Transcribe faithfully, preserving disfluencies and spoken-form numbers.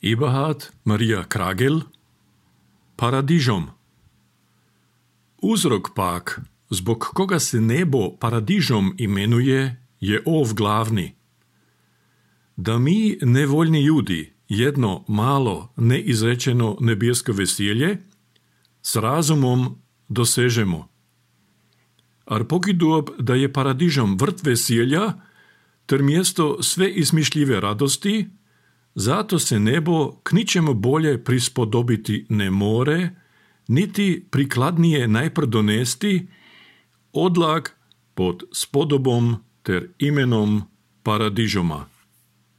Eberhard Maria Kragel, Paradižom. Uzrok pak, zbog koga se nebo paradižom imenuje, je ov glavni. Da mi, nevoljni ljudi, jedno malo, neizrečeno nebjesko veselje s razumom dosežemo. Ar pokidob, da je paradižom vrt veselja, ter mjesto sve izmišljive radosti, zato se nebo k ničemu bolje prispodobiti ne more, niti prikladnije najpr donesti, odlag pod spodobom ter imenom paradižoma.